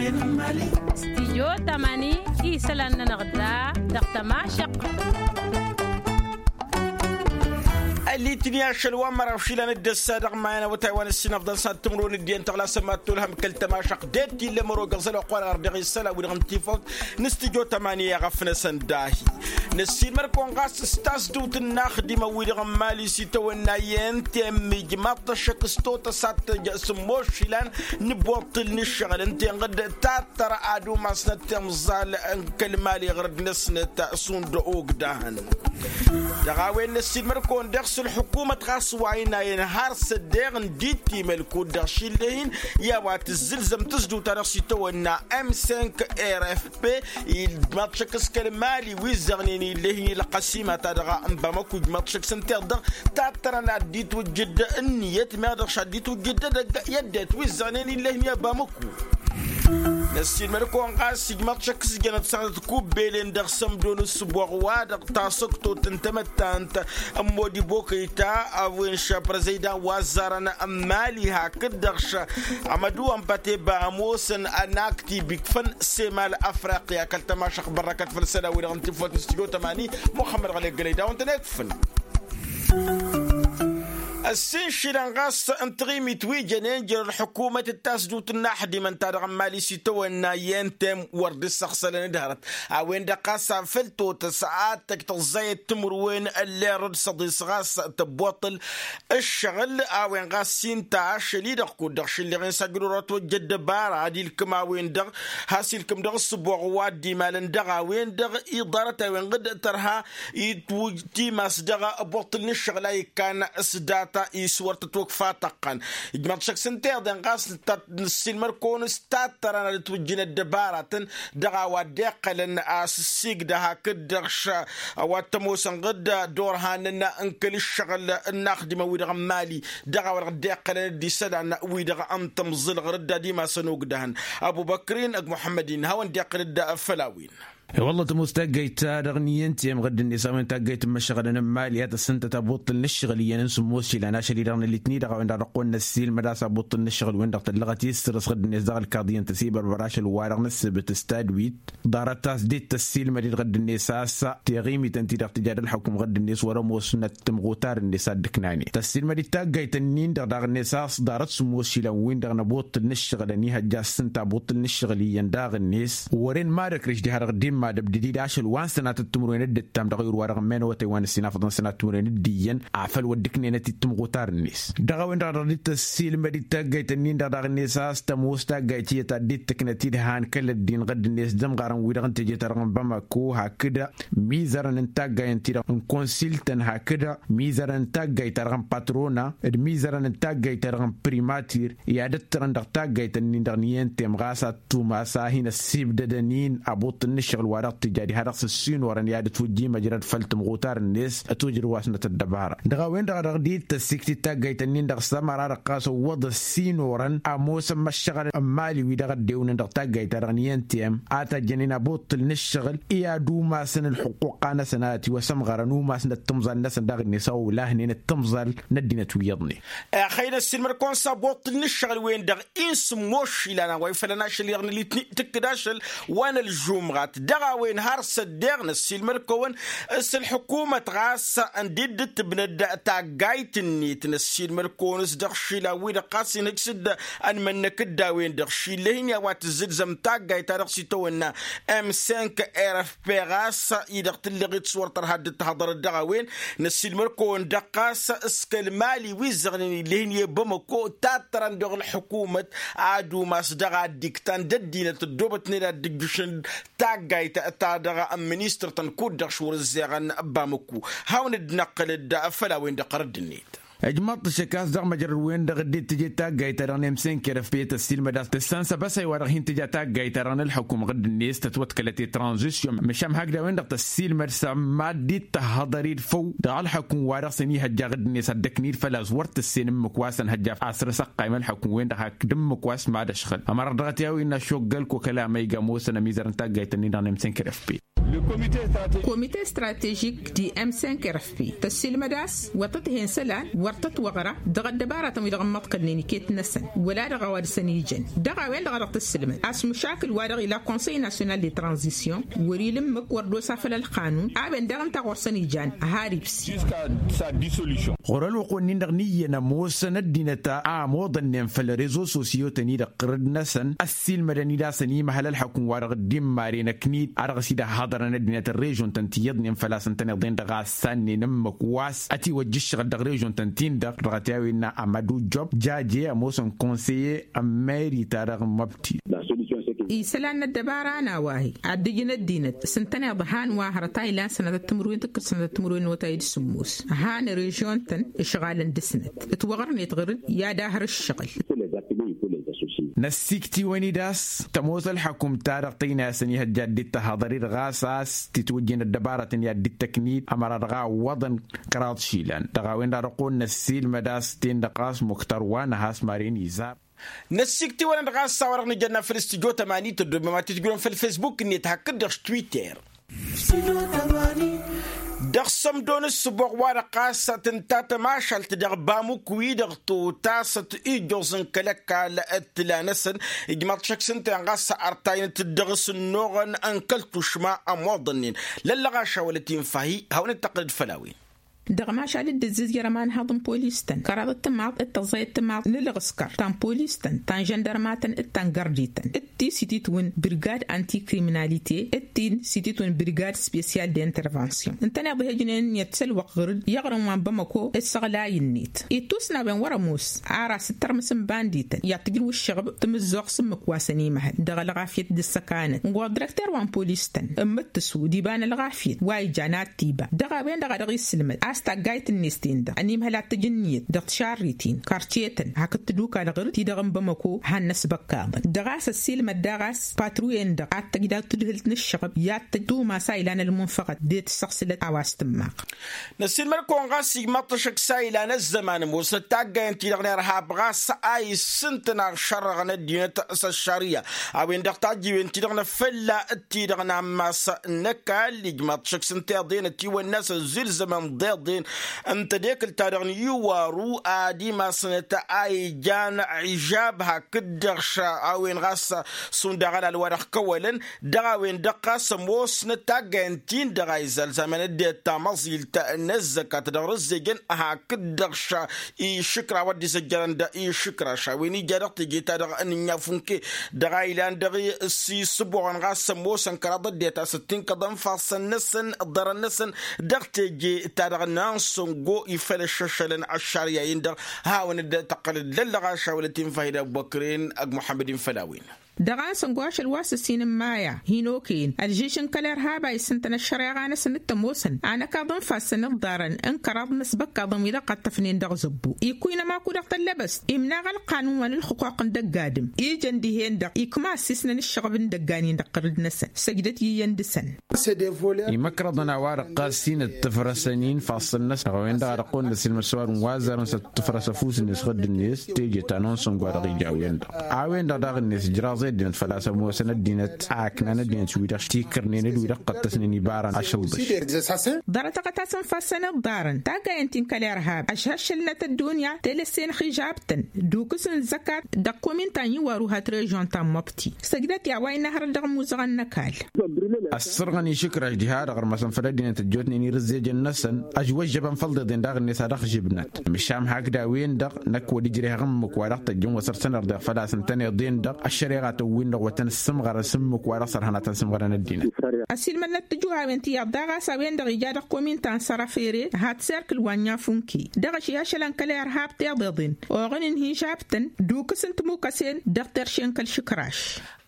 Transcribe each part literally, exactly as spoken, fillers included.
Stijyo tamani isălan-nănăɣ da dăɣ-tămašăq. Ălitni ašăl wa n-măraw išilan d-ăssa dăɣ-imayăn awătay wa n-ǝssinăfḍăn s-ad-timǝrwen d-iyyăn tăɣlasăn mad-tolhăm kăl-tămašăq d-e-t illa ămăro găẓăl oqq wa dăɣ-ărdeɣ isălan wi-dăɣ n-tifăḍt n-stijyo tamani i-aɣăf-năsăn dahi. Năssiinmăr-kăwăn ɣas s-tasdǝwt n-inaxdimăn-wi-dăɣ n-imali s-itawănna i-ntem ijmaḍ-t ăššăk s-totăsat tăjj s-ămoos išilan n-iboṭṭǝl n-ǝššăɣǝl ǝnta-en ɣǝd tattăr ad-umasnăt timẓal n-kăl-imali ɣur-dd-năsnăt šund ogdahăn. Dăɣ-a-wen năssiinmăr-kăwăn dăɣ-s ălḥukumăt ɣas wa inayăn har s-ăddeɣ n-dd-ittimăl kud-dăɣ šille-hin i-a-wa tǝzzǝlzăm tǝzdǝwt-ta-dăɣ s-itawănna m cinq r f p. Ijmaḍ-t šăkk s-kăl-imali wi ǝzzăɣnen ill'-e-hin i-ălqăsima-ta-dăɣ n-bamăku ijmaḍ-t šăkk s-ǝnta-dăɣ tattărăn ad-dd-itwǝjjǝd ǝnniyăt meɣ dăɣ-s ad-dd-itwǝjjǝd edăgg i-ăddinăt wi ǝzzăɣnen ill'-e-hin i-bamăku. Năssiinmăr-kăwăn ɣas ijmaḍ-t šăkk s-jănăt s-ad-ătkubbelen dăɣ-sămdo n-ǝssǝboɣ wa-dăɣ tasăktot n-tamăttant n-modi bokăyta a-wen šăprăzăydan wa ăzzarăn n-imali hakd-dăɣ šămădu ănbăteba ămoosăn ănakti bikfăn semal afriqya kăl-tămašăq bărrăkăt făll-isălan-wi-dăɣ n-tifolt n-studyo tămani muxămmăd ɣălek gălăy dawăn-tăn-ekfăn. Ăssin išilan ɣas n-taɣimit wi jănen jer-ălḥukumăt d-tasdut n-inaxdimăn-ta-dăɣ n-imali s-itawănna i-entem wăr dd-issăɣsălăn d-hărăt a-wen-dăɣ ɣas afăl totăs ad-tăj tăẓẓayăt timǝrwen ălleɣ d-săḍis ɣas tăbboṭṭăl ǝššăɣǝl a-wen ɣas s-inta ašăl-i-dăɣ kud-dăɣ šǝlleɣ-in s-ajǝl wăr-ătwăjja ăddăbara ad-ilkǝm a-wen-dăɣ has-ilkǝm dăɣ-ǝssǝboɣ wa dd-imalăn dăɣ-a-wen-dăɣ iḍarăt a-wen ɣǝd tărha itwǝj timas dăɣ-ăboṭṭǝl n-ǝššăɣǝl a ikkan s-data i-s wăr tătwăkfa tăqqan. Ijmăḍ šăkk s-ǝnta iḍen ɣas nǝssilmăr-kăwăn s-tattărăn ad-ǝtwǝjjǝn ăddăbaratăn dăɣ-a-wa dd-iqqălăn a-s ǝssigdă hakd-dăɣ š-a-wa t-ămoosăn ɣǝd d-orhanăn n-kăl-ǝššăɣǝl n-inaxdimăn-wi-dăɣ n-imali dăɣ-a-wa dăɣ-dd-iqqălăn d-isălan-wi-dăɣ n-tamẓǝl ɣur-dd ad-imasăn ogdăhăn. Ăbubăkr-in ăgg muḥămmăd-in hawăn-dd-iqqǝl-dd făll-a-wen. I-wălla tămoos taggayt-ta-dăɣ n-iyyăn temɣădd-net a-wen taggayt n-imăššăɣălăn n-imali a tăssǝntăt abuṭṭǝl n-ǝššăɣǝl iyyăn n-sǝmmos ilan ašăl-i-dăɣ n-alitni-dăɣ a-wen-dăɣ dăɣ-kăwăn-năssiilmăd a-s abuṭṭǝl n-ǝššăɣǝl-wen-dăɣ tăllăɣăt i-ǝssǝrǝs ɣǝdd-net dăɣ-ălkaḍi ǝntăsibărbăr ašăl-wa-dăɣ n-ǝssǝbǝt s-tadwit ḍarăt a-s dd-tăssiilmăd-dd ɣǝdd-net a-s tiɣimit ǝnta-i-dăɣ tǝja d-ălxukǝm ɣǝdd-net wăr-ămoosnăt timɣutar-net a dd-ǝknanen tăssiilmăd-dd taggayt-ǝnnin-dăɣ daɣ-net a-s ḍarăt sǝmmos ilan-win-dăɣ n-abuṭṭǝl n-ǝššăɣǝl ănihăjja s-tǝnta abuṭṭǝl n-ǝššăɣǝl iyyăn daɣ-net wăren madăkrǝš diha-dăɣ dd-immadăb d-edid ašăl wa n-sănatăt timǝrwen dd-ǝttam dăɣ-ayǝr wa dăɣ-ǝmmen awătay wa n-ǝssin afăḍăn sănat timǝrwen d-iyyăn afăl wăr dd-ǝknenăt-dd timɣutar-net. Dăɣ-a-wen-dăɣ a dăɣ-dd-tăssiilmăd-dd taggayt-ǝnnin-dăɣ daɣ-net a-s tămoos taggayt tiyyăt ad-dd-tǝknăt-dd han kăl-ăddin ɣǝdd-net d-imɣarăn-wi-dăɣ n-teje-ta-dăɣ n-bamako hakd mizărăn n-taggayăn-ti-dăɣ n-konsiltăn hakd mizărăn n-taggayt-ta-dăɣ n-patrona d-mizărăn n-taggayt-ta-dăɣ n-primatir i-ad-ǝttărăn dăɣ-taggayt-ǝnnin-dăɣ n-iyyăn tem ɣas ad-tumas a hin-ăssibdădăn-in abuṭṭǝl n-ǝššăɣǝl wa dăɣ-tǝja diha-dăɣ s-ǝssin orăn i-ad-ătwǝjja imăjrăd făll-tǝmɣutar-net ătwǝjrǝwasnăt ăddăbara. Dăɣ-a-wen-dăɣ a dăɣ-dd-tăssikt-dd taggayt-ǝnnin-dăɣ s-ămăra dăɣ-ɣas ăwwăḍ ăssin orăn ămoosăn măššăɣăl n-imali wi-dăɣ ăddewǝnăn dăɣ-taggayt-ta-dăɣ n-iyyăn tem a tajjănen abuṭṭǝl n-ǝššăɣǝl i-ad-umasăn ǝlxuqquqa-năsăn a ătwăsămɣărăn umasnăt timẓal-năsăn daɣ-net a olahnen d-timẓal n-ăddinăt wi iyyăḍnen. Ixăyy năssiilmăd-kăwăn s-abuṭṭǝl n-ǝššăɣǝl-wen-dăɣ i n-sǝmmos išilan a-wa ifălăn ašăl-i-dăɣ n-alitni tǝkkǝd ašăl wa n-ălžumɣat dăɣ-a-wen har s-ăddeɣ năssiilmăd-kăwăn s-ălḥukumăt ɣas ǝndi dd-tǝbnăd taggayt-net năssiilmăd-kăwăn s-dăɣ išilan-wi-dăɣ ɣas inhǝj s-dd-ănmănnăk d-a-wen-dăɣ šillăh-in i-a-wa tǝzzǝlzăm taggayt-ta-dăɣ s-itawănna m cinq r f p ɣas-i-dăɣ tǝlleɣ-dd s-wăr tărha dd-tăhăḍărăt dăɣ-a-wen. Năssiilmăd-kăwăn-dăɣ ɣas s-kăl-imali wi ǝzzăɣnen ill'-e-hin i-bamăko tattărăn dăɣ-ălḥukumăt ad-umas dăɣ-a dd-iktan d-ăddinăt ăddoobătnen ad-dd-ǝjjǝšăn taggayt-ta-dăɣ n-ministăr-tăn kud-dăɣ šwăr-ǝzzeɣăn bamăko. Hawăn-dd-năqqǝl-dd făll-a-wen-dăɣ ɣărădd-net. Ǝjmăḍ-t ăššăk a-s dăɣ-măjrăd-wen-dăɣ dd-tǝje taggayt-ta-dăɣ n-emsenker f p tăssiilmăd a-s tǝssan s-abăsay wa-dăɣ hin-tǝja taggayt-ta-dăɣ n-ălḥukum ɣǝdd-net tătwăḍkălăt i-tranzisyon măšan hakd a-wen-dăɣ tăssiilmăd s-mad-dd-tăhhăḍăr-dd făw dăɣ-ălḥukum wa dăɣ-s ănihăjja ɣǝdd-net ad-dd-ăknid făl-a-s wăr tǝssen ǝmmǝk wa s-ănhăjja asrăs ăqqayǝm ălḥukum-wen-dăɣ hakd ǝmmǝk wa s-mad-ăšɣǝl ămăra-dăɣ a t-i-a-wa innă ašoggăl kokăla ma iga ămoosăn ămizărăn taggayt-ǝnnin-dăɣ n-emsenker f p. Komite stratežik di m cinq r f p tăssiilmăd a-s wăr tăt-hen isălan wăr tăt-wăɣra dăɣ-ăddăbaratăn-wi-dăɣ ǝmmăḍkălnen iket-năsăn wăla dăɣ-a-wa dăɣ-săn ijăn dăɣ-a-wen-dăɣ a dăɣ-tǝssǝlmăd a-s măšakǝl wa dăɣ-ila konsăy nasyonal de tranzisyon wăr-ila ǝmmǝk wăr dd-osa făll-ălqanun a-wen daɣ ǝnta ɣur-săn ijan har ibsi. Ɣur-ălwăqq-wen-in-dăɣ n-iyyăn ămoosăn ăddinăt a ămoḍănnen făll-rezo sosyo-tăn-i-dăɣ ɣǝrǝd-năsăn ăssiilmădăn-dd a-s ănimăhăl ălḥăkum-wa-dăɣ dd-immaren ăknid a dăɣ-s dd-ăhhaḍărăn ăddinăt n-režon-tăn ti iyyăḍnen făl-a-s ǝntăneḍ-en-dăɣ a ǝssannen ǝmmǝk wa s-ătiwăjja ǝššăɣǝl dăɣ-režon-tăn-tin-dăɣ dăɣ-t i-a-wen n-amădu job jaje ămoosăn konseye ămmeri-ta-dăɣ n-măbti. Isălan n-ăddăbara n-a-wa hi-addǝj n-ăddinăt s-ǝntăneḍ han wa hărăt a ilan sănătăt timǝrwen tǝkkǝs sănătăt timǝrwen n-awătay d-sǝmmos han režyon-tăn ǝšɣalăn dăr-snăt ǝtwăɣrǝnet ɣǝr-dd i-ad-ahăr ǝššăɣǝl. Năssikt'-iwăn-dd a-s tămoos ălḥăkum-ta-dăɣ tăynayăsăn ihăjja dd-tăhaḍăr-dd ɣas a-s titwǝjjen ăddăbarătăn i-ad-dd-tăknit ămăra dăɣ-a ǝwwăḍăn kăraḍ išilan dăɣ-a-wen-dăɣ a dăɣ-kăwăn-năssiilmăd a-s ten-dăɣ ɣas muktar wa năha a-s maren izar. Năssikt'-iwăn-dd ɣas a-wa-dăɣ nǝjănna făll-studyo tămani tăddomem ad-tǝjrǝwăm făll-fesbuk-net hakd-dăɣ s-twitter. Dăɣ-sămdo n-ǝssǝboɣ-wa-dăɣ ɣas tǝnta tămašalt dăɣ-bamuk-wi-dăɣ totasăt ijjoẓ n-kăl-ăkall d-tǝla-năsăn ijmaḍ šăkk s-ǝnta-en ɣas ărtayăn-t-dd dăɣ-s ǝnnuɣăn n-kăl-tušma ămoḍănnen. Lăllăɣaša wăla t-infa-hi hawăn-dd-tăqqǝlăd făll-a-wen. Dăɣ-mašal dd-ǝzzǝzjăr ămanhăḍ n-polis-tăn kăraḍăt timaḍ d-tăẓẓayăt timaḍ n-ǝlɣǝskăr ta n-žăndărmatăn d-ta n-gărdi-tăn d-ti s-ititwǝn brigad antikriminalite d-ti s-ititwǝn brigad spesyal d-intervansyon ǝntăneḍ ihăjnen iyyăt s-ălwăqq ɣǝr-dd i-aɣrǝm wa n-bamăko. S-ăɣlay-net ittus n-a-wen wăr-ămoos ar asǝttărmǝs n-bandităn i-ad-tǝjrǝw ǝššăɣb tǝmǝzzoɣt s-ǝmmǝk wa s-ănimăhăl dăɣ-ălɣafyăt d-ǝssăkanăt n-ɣur-dirăkter wa n-polis-tăn ǝmmǝttǝsu d-iba n-ălɣafyăt wa ijan ad-t-iba dăɣ-a-wen-dăɣ a dăɣ-isǝlmăd a-s taggayt-net-ten-dăɣ ănimhăl ad-t-ǝjǝnniyăt dăɣ-tišarritin karcetăn hakd tǝdukal ɣǝr-dd ti-dăɣ n-bamăko han n-asbăkkaḍăn dăɣ-a-s ăssiilmăd daɣ a-s patruyen-dăɣ ad-tăj daw-tǝdhǝlt n-ǝššăɣb i-ad-tăj tumas a ilan ălmunfăɣăt d-e-tǝssăɣsǝlăt a-wa s-tǝmmaɣ. Năssiilmăd-kăwăn ɣas ijmaḍ-t ašăk s-a ilan ăzzăman ămoosnăt taggayăn-ti-dăɣ n-irhab ɣas a issǝntăn aɣšărrăɣăn ăddinăt s-ăššarǝya a-wen-dăɣ tajjiwen-ti-dăɣ n-afălla d-ti-dăɣ n-ammas n-ăkall ijmaḍ-t ašăk s-ǝnta iḍen ătiwănna s-ăzzilzămăn d-iḍen n-tedekǝlt-ta-dăɣ n-iwaru ad-imasnăt a ijan ižab hakd-dăɣ a-wen ɣas s-undaɣ ălal wa dăɣ-kăwălăn dăɣ-a-wen-dăɣ ɣas ămoosnăt taggayăn-tin-dăɣ a izalzaman ăddinăt tamăẓilt n-ăzzăkat dăɣ-rǝzzejăn hakd-dăɣ išǝkraw a dd-izăjjărăn d-išǝkraš a-wen ija dăɣ-teje-ta-dăɣ n-ǝnyafunke dăɣ-a ilan dăɣ-s isǝboɣăn ɣas ămoosăn kăraḍ ăddinăt a-s ǝttinkăḍăn fassăn-năsăn ḍarăn-năsăn dăɣ-teje-ta-dăɣ n-ansăngo ifălăššăšălăn ăššarǝya-in-dăɣ. Hawăn-dd-tăqqălăd lăllăɣaša wăla t-infa hi-dd-ăbbăkren ăgg muḥămmăd-in făll-a-wen. Dăɣ-a-s ăngošăl wa s-ǝssin n-maya hin-okăyăn ălžǝž n-kăl-irhab a isǝntăn ăššăreɣa-năsăn d-tămoosăn anăkaḍ n-ifassăn d-iḍarăn n-kăraḍ n-asbăkkaḍăn wi-dăɣ ɣăṭṭăfnen dăɣ-zăbbu ikkuynăm akud dăɣ-tăllăbăst imnaɣ ălqanun wa n-ǝlxǝquq n-dăgg-adǝm ijăn dihen-dăɣ ikma ăssiisnăn ǝššăɣb n-idăggan-in dăɣ-tărǝd-năsăn săjdăt i-iyyăn dăɣ-săn. Imăkrăḍăn a-wa-dăɣ ɣas-in ǝttǝfrăsăn-in ifassăn-năsăn dăɣ-a-wen-dăɣ a dăɣ-kăwăn-năsilmăd s-ăwadǝm wa ăzzarăn s-ăttǝfrăs ăfuss-net ɣǝdd-net teje ta n-onsăngo a dăɣ-ija a-wen-dăɣ a-wen-dăɣ daɣ-net ǝjraẓ i-ăddinăt făl-a-s ămoosăn ăddinăt a ǝknan ăddinăt wi-dăɣ s-tikǝrnen d-wi-dăɣ ɣǝttăsnen ibarăn ašăl-ḍeš. Ḍarăt-tăɣăt a-s ǝnfassăn iḍarăn taggayăn-t-in kăl-irhab ăšhăššălnăt ăddunya telăsse n-ixižabtăn d-ukǝs n-zăkat dăɣ-komin ta n-iwaru hat režyon ta n-măbti săjdăt i-a-wa innă hărăt dăɣ-ămmuzăɣăn n-ăkall. Ăssărɣăn išǝkraš diha-dăɣ ărmăsăn făll-ăddinăt ăjjootnen irǝzzejăn-năsăn ăžwăžžăbăn făll-iḍeḍen daɣ-net a dăɣ-žibnăt măšan hakd a-wen-dăɣ năkk wăr-ijreh ămmǝk wa dăɣ-tăjjăn wa săr-săn ărḍeɣ făl-a-s ǝntăneḍ den-dăɣ ăššăreɣa tăwwin-dăɣ wa tăn-ǝssǝmɣărăn s-ǝmmǝk wa dăɣ-săr hanăt-ănsǝmɣărăn ăddinăt. Ăsiilmădnăt tǝjǝwhawen ti iyyăḍ daɣ a-s a-wen-dăɣ ija dăɣ-komin ta n-sărăfere hat serkǝl wa n-iyafunke dăɣ-ašăl ašălăn kăl-irhab tiḍeḍen oɣǝn n-hižabtăn d-ukǝs n-timukăsen dăɣ-terše n-kăl-išǝkraš.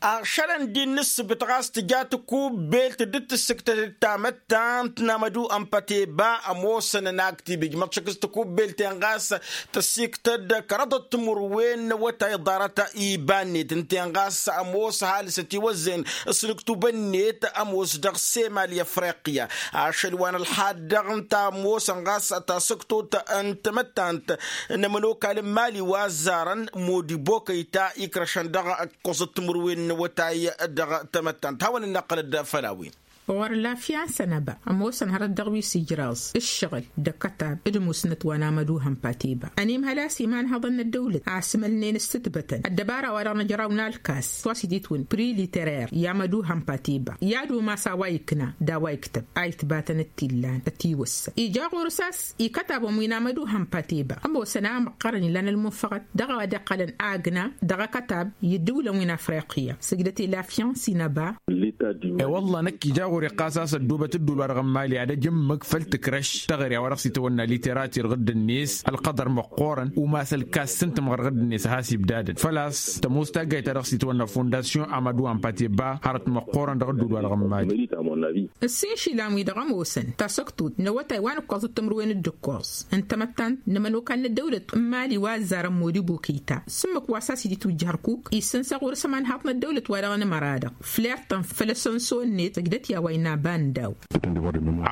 Aɣšălăn d-innǝssǝbǝt ɣas tǝja tikubbelt dd-tǝssǝktăd d-tamăttant n-amădu ănpăteba ămoosăn ănaktib ijmăḍ šăkk s-tikubbelt-en ɣas tăssiktăd kăraḍăt timǝrwen n-awătay ḍarăt iba-net ǝnta-en ɣas ămoos ăhalǝs ătiwăzzăyăn s-nǝktub-net ămoos dăɣ-semal i-afriqya ašăl wa n-ălxadd-dăɣ ǝnta ămoosăn ɣas tasǝktot n-tamăttant n-ămănokal n-imali wa ăzzarăn modibo kăyta ikrăšăn dăɣ-ǝkkoẓăt timǝrwen n-awătay dăɣ-tamăttant hawăn-dd-năqqălăd făll-a-wen. Ɣur-lafya n-sănăba ămoosăn hărăt dăɣ-wi s-ijraẓ ǝššăɣǝl d-akătab d-musnăt wa n-amăduhăn patiba ănimhăl a-s imanhăḍăn n-ăddăwlăt asmălnen s-tǝtbătăn ăddăbara-wa-dăɣ n-ăjraw n-alkas s-wa s-ititwǝn priliterer i-amăduhăn patiba i-ad-umas a-wa ikna d-a-wa iktăb a itbatăn d-tillan ătiwăssăn ija ɣur-s a-s ikătabăn wi n-amăduhăn patiba ămoosăn a măqqărăn ilan ălmunfăɣăt dăɣ-a-wa dd-iqqălăn agna dăɣ-akătab i-ǝddǝwlăn wi n-afriqya sǝjdăt i-lafya n-sinăba. E-wălla năkk ija ɣur-e ɣas a-s ăddoobăt ǝddul-wa-dăɣ n-imali ad-ăj ǝmmǝk făll-tǝkrăš taɣre a-wa dăɣ-s itawănna literatǝr ɣǝdd-net ălqăḍăr măqqoorăn umas ălkas s-ǝntǝmɣăr ɣǝdd-net a has-ibdadăn făl-a-s tămoos taggayt ta dăɣ-s itawănna fondasyon amăduhăn patiba hărăt măqqoorăn dăɣ-ǝddul-wa-dăɣ n-imali. Ǝssin išilan-wi-dăɣ ămoosăn tasăktut n-awătay wa n-ǝkkoẓăt timǝrwen d-ǝkkoẓ n-tamăttant n-ămănokal n-ăddăwlăt n-imali wa ăzzarăn modibo kăyta s-ǝmmǝk wa s-a-s dd-itwǝjjǝh ărkuk issǝnsăɣ ɣur-s ămanhaḍ n-ăddăwlăt-wa-dăɣ n-imăra-dăɣ fleɣ-tăn făll-asănso-net ǝjdăt i-a-wa innă bandăw.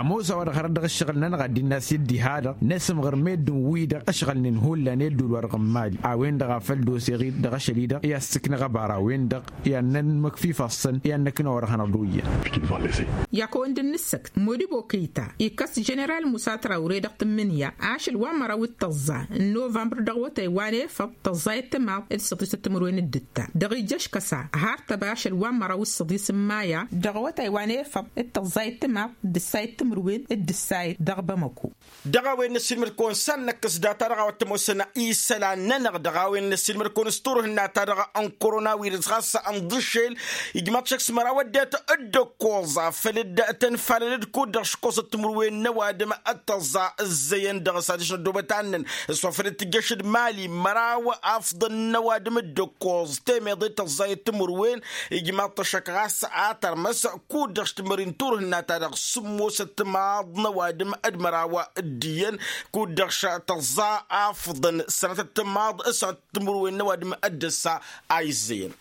Ămoos a-wa-dăɣ hărăt dăɣ-ǝššăɣǝl-nănăɣ ad-dd-innă a-s i-ăddihadăɣ n-esǝmɣăr meddǝn-wi-dăɣ ăšɣălnen hullan i-ăddul-wa-dăɣ n-imali a-wen-dăɣ a făl dd-oseɣ-dd dăɣ-ašăl-i-dăɣ i-ad-sǝknăɣ ăbara a-wen-dăɣ i-ad-nănmăkfifăssăn i-ad-năknăwăr ad-hanăɣ-dd-oyyăn. Yakăwăn dd-nǝssăkt modibo kăyta ikkăs jeneral musa trawre dăɣ-tǝmmǝnǝya ašăl wa n-măraw d-tăẓẓa n-novămbăr dăɣ-awătay wa n-efăḍ tăẓẓayăt timaḍ d-săḍisăt timǝrwen d-ǝttan dăɣ-ija ăškăsa har tăba ašăl wa n-măraw d-săḍis n-maya dăɣ-awătay wa n-efăḍ d-tăẓẓayăt timaḍ d-ǝssayăt timǝrwen d-ǝssayăt dăɣ-bamăko. Dăɣ-a-wen n-ăssiilmăd-kăwăn s-ad-năkkăs data-dăɣ a-wa t-ămoosăn isălan-nănăɣ dăɣ-a-wen n-ăssiilmăd-kăwăn s-turhǝnna-ta-dăɣ n-koronawiris ɣas ănḍǝšel ijmaḍ šăkk s-măraw ăddinăt d-ǝkkoẓa făl dd-tănfalăn d-kud-dăɣ škoẓăt timǝrwen n-ăwadǝm d-tăẓẓa ǝzzăyăn dăɣ-s adiš n-ăddoobăt annăn s-wa făl dd-tǝjjăš d-mali măraw afḍăn n-ăwadǝm d-ǝkkoẓ temeḍe tăẓẓayăt timǝrwen ijmaḍ-t ăššăk ɣas a tărmăs kud-dăɣ s-tǝmmări n-turhǝnna-ta-dăɣ sǝmmosăt timaḍ n-ăwadǝm d-măraw d-iyyăn kud-dăɣ s-tăẓẓa afḍăn sănătăt timaḍ s-sănătăt timǝrwen n-ăwadǝm d-ǝssa a izzăyăn.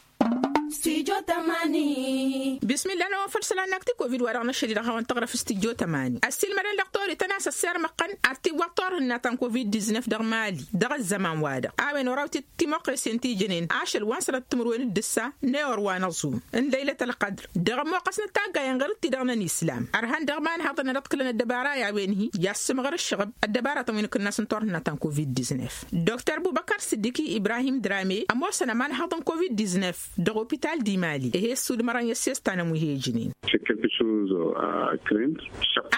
Bismillah n-a-wen făll-isălan n-ak ti-covid wa dăɣ-năšăl-i dăɣ-hawăn-tăɣrăf s-tijjo tămani ăssiilmădăn dăɣ-torităn a-s ăssirmăɣ-tăn ar tiwwăḍ turhǝnna ta n-covid-diznef dăɣ-mali dăɣ-ăzzăman-wa-dăɣ a-wen oraw-t-dd timoqqesen ti jănen ašăl wa n-sănăt timǝrwen d-ǝssa n-ewăr wa n-aẓum n-lăylăt ălqădr dăɣ-ămmoqqăsnăt taggayen ɣur-dd-tidăɣ n-ănislam ărhan dăɣ-imanhăḍăn ad-ăḍkǝlăn ăddăbara i-a-wen-hi i-ad-sǝmɣăr ǝššăɣăb ăddăbaratăn wi n-akǝnnas n-turhǝnna ta n-covid-diznef. Doktor bubăkar sǝddiki ibrahim drame ămoosăn ămanhăḍ n-covid-diznef dăɣ-opital d-imali ih'-e ăssudmărăn i-ăssestan ămwihejnen.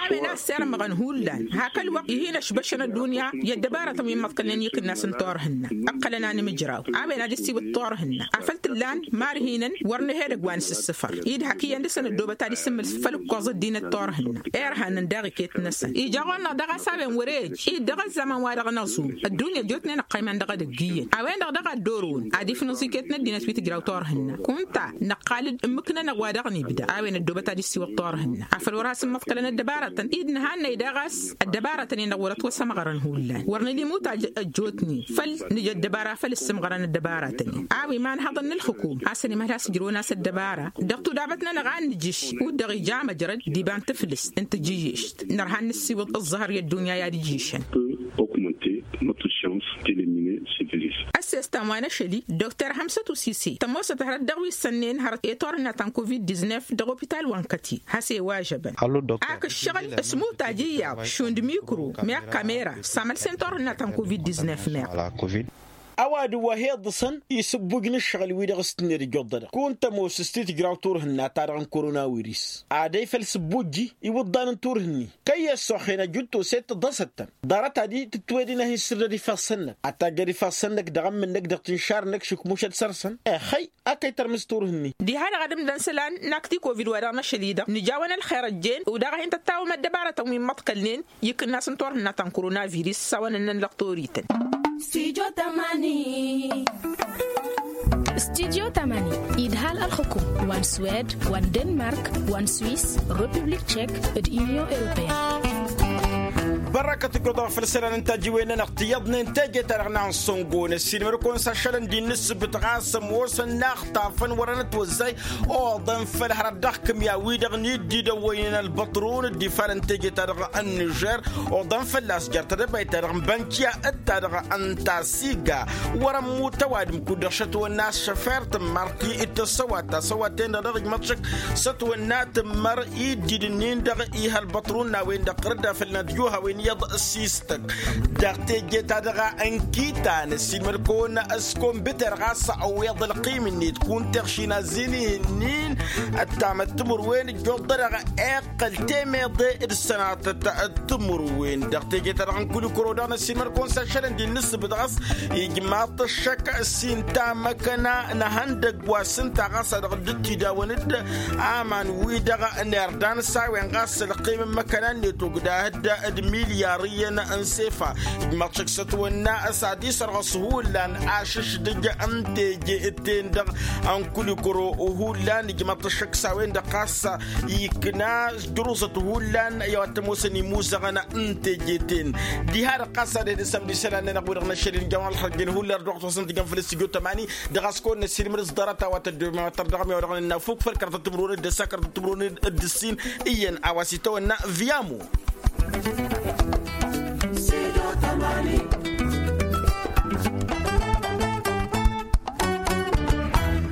A-wen a ăssirmăɣăn hullan hak ălwăqq ih'-in ăšbăšăn ăddunya i-ăddăbaratăn wi n-imăḍkălnen i-akǝnnas n-turhǝnna ǝqqălăn a nǝmǝjraw a-wen ad-dd-siwǝḍ turhǝnna afăl t-ǝllan ma ărhinăn wăr nǝhedăgg wa n-sǝssǝfăr-i d-hak iyyăn dăɣ-săn ăddoobăt ad-isǝmmǝl făll-ǝkkoẓ ăddinăt turhǝnna irhanăn daɣ iket-năsăn ija ɣur-năɣ daɣ a-s a-wen wăr-e ăj-i dăɣ-ăzzăman-wa-dăɣ n-aẓum ăddunya ăjjootnen ăqqăyman dăɣ-edăgg iyyăn a-wen-dăɣ daɣ a dd-orăwăn ad-ifnǝẓ iket n-ăddinăt wi tǝjraw turhǝnna kunta năqqal-dd ǝmmǝk-nănăɣ wa dăɣ-nibda a-wen ăddoobăt ad-isiwǝḍ turhǝnna afăl wăr hasǝmmăḍkălăn ăddăbaratăn-i d-nǝhannăy daɣ a-s ăddăbaratăn-en-dăɣ wăr-ătwăsămɣărăn hullan wăr nǝla imutaj ăjjootnen făll-nǝj ăddăbara făll-ǝssǝmɣărăn ăddăbaratăn-en a-wi imanhăḍăn n-ǝlxǝkum a-s ănimhăl has-ǝjrăwăn a-s ăddăbara dăɣ-tudabăt-nănăɣ a ǝnnǝjǝš kud-dăɣ ija amăjrăd d-iba n-tǝflǝst n-tǝjǝyyešt nărha ad-nǝssiwǝḍ ǝẓẓăhăr i-ăddunya i-ad-ǝjjǝšăn. Ăssestan wa n-ašăl-i dokter hămsăt usise tămoosăt hărăt dăɣ-wi ǝssănnen hărăt i-turhǝnna ta n-covid-diznef dăɣ-opital wa n-kăti has-e-wa žăbăn. Ak ǝššăɣǝl s-imutaj iyyăḍ šund mikro meɣ kamera s-amălsen turhǝnna ta n-covid-diznef meɣ. Ăwadǝm wa hi-iḍǝsăn isǝbbuj n-ǝššăɣǝl-wi-dăɣ s-tǝnned ǝjjuḍ-dăɣ kunta ămoos s-ti-tǝjraw turhǝnna-ta-dăɣ n-koronawiris ad-ăy făll-sǝbbujji iwǝḍḍan n-turhǝnni kăyy-e ăssoxen ăjut toset tǝḍăsăt-tăn ḍarăt ad-tǝtwed-in ad-hin-sǝrdăd ifassăn-năk ad-tajjăd ifassăn-năk dăɣ-ămmǝn-năk dăɣ-tinšar-năk šukmušăd săr-săn. Ixăy a kăy-tărmǝs turhǝnni. Diha-dăɣ ad-ǝmdăn isălan n-ak ti-covid wa dăɣ-năšăl-i-dăɣ nǝjawăn ălxer ăjjeen udaɣ ad-hin-tăttawăm ăddăbarătăn wi n-imăḍkălnen i-ikǝnnas n-turhǝnna ta n-koronavirus s-a-wa nǝnnăn dăɣ-torităn. Studio tamani. Studio tamani idhal ălxǝkum wa n-swed wa n-denmark wa n-swiss republik tchek d-union europeen. Bărrăkăt ǝjjuḍăɣ făll-isălan n-tajiwen-nănăɣ tiyyăḍnen teje-ta-dăɣ n-ansăngon ăssiilmăd-kăwăn s-ašălăn d-innǝssǝbǝt ɣas ămoosăn naɣ tafăn wărăn ătwăzzay. Oḍăn făll-hărăt dăɣ-kǝmya-wi-dăɣ n-iddidăn wa ǝynen ălbăṭrun dd-ifalăn teje-ta-dăɣ n-nižer. Oḍăn fălla-s jer-tedăbayt-ta-dăɣ n-bănkiya d-ta-dăɣ n-tasiga. Wăr-ămmut ăwadǝm kud-dăɣ šătwănna s-šăfer tǝmmăr ti d-tăssăwat tasăwat-ten-dăɣ dăɣ-ijmăḍ šăkk s-ătwănna tǝmmăr iddidǝn-in-dăɣ ih' ălbăṭrun n-a-wen-dăɣ ɣǝrǝd afăl n-ădjuh a-wen iyyăḍ s-istăk. Dăɣ-teje-ta-dăɣ n-kitan ăssiilmăd-kăwăn s-kăwăn bǝter ɣas ăwweḍ ălqim-net kunta iɣšin azin ihǝnnin. Ăttamăt timǝrwen ǝjjuḍ-dăɣ iqqăl temeḍe d-sănatăt timǝrwen dăɣ-teje-ta-dăɣ n-kulikuro daɣ n-ăssiilmăd-kăwăn s-ašălăn d-innǝssǝbǝt ɣas ijmaḍ ăššăk s-inta măkăna n-ehăndăgg wa s-ǝnta ɣas a dăɣ-dd-ăttidawăn-dd aman-wi-dăɣ n-irdan s-a-wen ɣas ălqim n-imăkăna-net ogdahăd d-milyar iyyăn n-sefa. Ijmăḍ šăkk s-ătwănna s-ad-isărɣăs hullan ašǝšdǝj n-teje-ten-dăɣ ănkulikăro hullan ijmăḍ šăkk s-a-wen-dăɣ ɣas ikna s-jăruzăt hullan i-a-wa t-ămoosăn imuzăɣăn n-teje-ten. Diha-dăɣ ɣas ad-ed-ǝssamd isălan-nănăɣ wi-dăɣ n-ašăl injawăn ălxăjjăn hullan ărdăɣăt-wăsăn tijăn făll-s tijot ămani. Dăɣ-a-s kăwăn-năssiilmăr s-ḍarăt a-wa tăddomen wa tărdăɣăm i-a-wa dăɣ-nǝnna fuk făll-kărtăt timǝrwen d-ăssa kărtăt timǝrwen d-ǝssin iyyăn a-wa s-itawănna. Viamo.